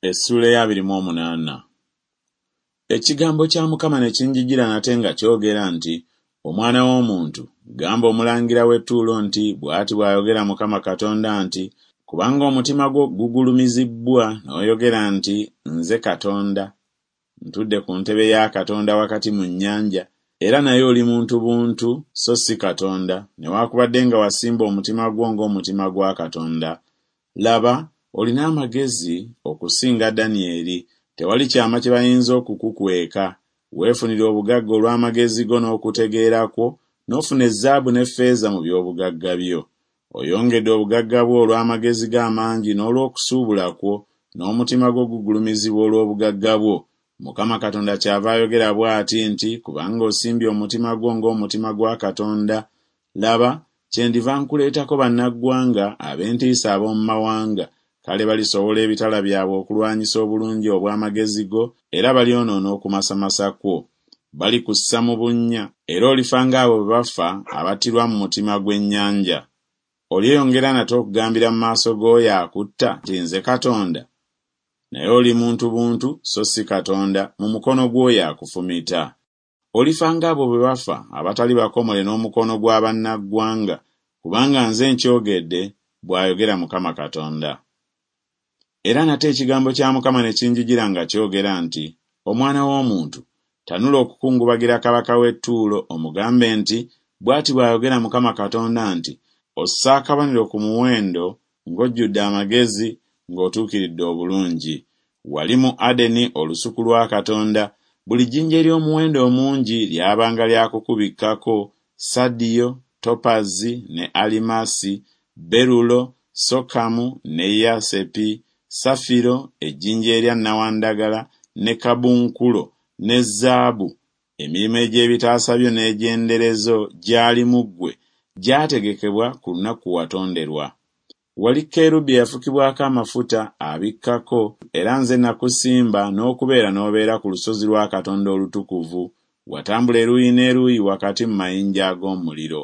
Essuula ey'abiri mu omunaana. Ekigambo kya Mukama ne kinjijira nate nga kyogera nti, Omwana w'omuntu, gamba omulangira w'e Ttuulo nti, Bw'ati bw'ayogera Mukama Katonda nti, Kubanga omutima gwo gugulumizibbwa n'oyogera nti, Nze Katonda, ntudde ku ntebe ya Katonda wakati mu nnyanja, era naye oli muntu buntu so si Katonda, newakubadde nga wasimba omutima gwo ng'omutima gwa Katonda, Laba, olina amagezi okusinga Danyeri, tewali kyama kye bayinza okukukweka. Weefunira obugagga olw'amagezi go n'okutegeera kwo, n'ofuna ezaabu n'effeeza mu by'obugagga byo. Oyongedde obugagga bwo olw'amagezi go amangi n'olw'okusuubula kwo, n'omutima gwo gugulumizibwa olw'obugagga bwo. Mukama Katonda kyava ayogera bw'ati nti, Kubanga osimbye omutima gwo ng'omutima gwa Katonda, laba, kyendiva nkuleetako bannaggwanga ab'entiisa ab'omu mawanga, kale balisowola ebitala byabwe okulwanyisa obulungi obw'amagezi go, era balyonoona okumasamasa kwo. Balikussa mu bunnya, era olifa ng'abo bwe bafa abattirwa mu mutima gw'ennyanja. Olyeyongera nate okugambira mu maaso g'oyo akutta nti Nze Katonda? Naye oli muntu buntu so si Katonda, mu mukono gw'oyo akufumita. Olifa ng'abo bwe bafa abatali bakomole n'omukono gwa bannaggwanga, kubanga nze nkyogedde, bw'ayogera Mukama Katonda. Era nate ekigambo kya Mukama ne kinjijira nga kyogera nti, Omwana w'omuntu, tanula okukungubagira kabaka w'e Ttuulo, omugambe nti Bw'ati bw'ayogera Mukama Katonda nti Ossa akabonero ku muwendo ng'ojjudde amagezi, ng'otuukiridde obulungi. Wali mu Adeni olusuku lwa Katonda, buli jjinja ery'omuwendo omungi lyabanga lya kukubikkako, sadiyo, topazi, ne alimasi, berulo, sokamu, ne yasepi, safiro, ejjinja erya nnawandagala, ne kabunkulo, ne zaabu, Emirimu egy'ebitaasa byo n'egy'endere zo gyali mu ggwe, gyategekebwa ku lunaku kwe watonderwa. Wali kerubi eyafukibwako amafuta, abikkako, era nze nakusimba n'okubeera n'obeera ku lusozi lwa Katonda olutukuvu, watambula eruuyi n'eruuyi wakati mu mayinja ag'omuliro.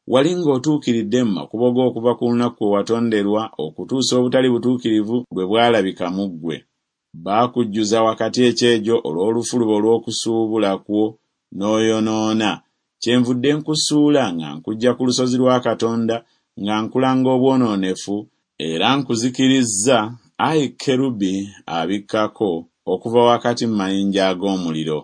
Wali ng'otuukiridde mu makubo go okuva ku lunaku kwe watonderwa okutuusa obutali butuukirivu lwe bwalabika mu ggwe. Baakujjuza wakati ekyejo olw'olufuluba olw'okusuubula kwo, n'oyonoona. Kyenvudde nkusuula nga nkuggya ku lusozi lwa Katonda, nga nkulanga obwonoonefu, era nkuzikirizza, ayi kerubi abikkako, okuva wakati mu mayinja ag'omuliro.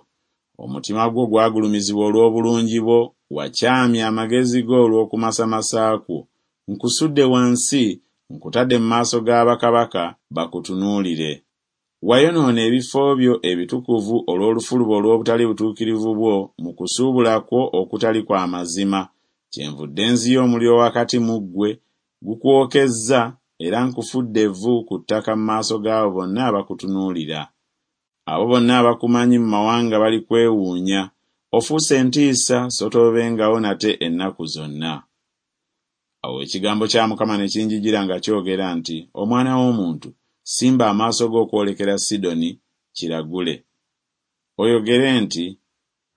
Omutima gwo gwagulumizibwa olw'obulungi bwo, wakyamya amagezi go olw'okumasamasa kwo. Nkusudde wansi, nkutadde mu maaso ga bakabaka, bakutunuulire. Wayonoona ebifo byo ebitukuvu olw'olufuluba olw'obutali butuukirivu bwo mu kusuubula kwo okutali kwa mazima, kyenvudde nziya omuliro wakati mu ggwe, gukwokezza, era nkufudde evvu ku ttaka mu maaso g'abo bonna abakutunuulira. Abo bonna abakumanyi mu mawanga balikwewuunya, ofuuse entiisa so toobengawo nate ennaku zonna. Awo ekigambo kya Mukama ne kinjijira nga kyogera nti, Omwana w'omuntu, simba amaaso go okwolekera Sidoni, kiragule. Oyogere nti,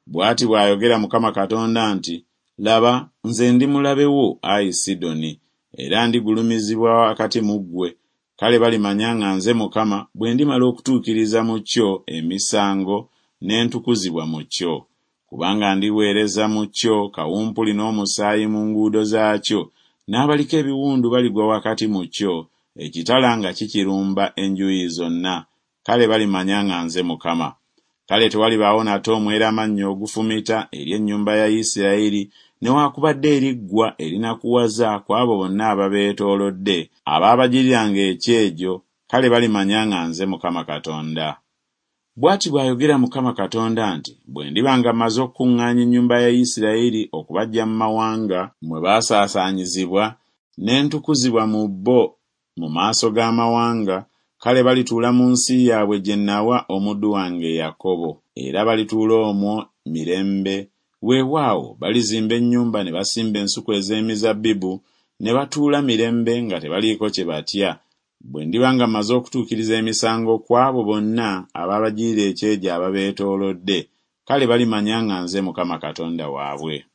Bw'ati bw'ayogera Mukama Katonda nti, Laba, nze ndi mulabe wo, ayi Sidoni, era ndigulumizibwa wakati mu ggwe, kale balimanya nga nze Mukama bwe ndimala okutuukiriza mu kyo emisango ne ntukuzibwa mu kyo. Kubanga ndiweereza mu kyo kawumpuli n'omusaayi mu nguudo zaakyo, n'abaliko ebiwundu baligwa wakati mu kyo, ekitala nga kikirumba enjuuyi zonna, kale balimanya nga nze Mukama. Kale tewalibaawo nate omweramannyo ogufumita eri ennyumba ya Isirayiri, newakubadde eriggwa erinakuwaza ku abo bonna ababeetoolodde, abaabagiriranga ekyejo, kale balimanya nga nze Mukama Katonda. Bw'ati bw'ayogera Mukama Katonda nti, Bwe ndiba nga mmaze okukuŋŋaanya ennyumba ya Isirayiri okubaggya mu mawanga mwe baasaasaanyizibwa, ne ntukuzibwa mu bo mu maaso g'amawanga, kale balituula mu nsi yaabwe gye nnawa omuddu wange Yakobo, era balituula omwo mirembe, weewaawo, balizimba ennyumba ne basimba ensuku ez'emizabbibu, ne batuula mirembe nga tebaliiko kye batya, Bwe ndiba nga mmaze okutuukiriza emisango ku abo bonna abaabagirira ekyejo ababeetoolodde, kale balimanya nga nze Mukama Katonda waabwe.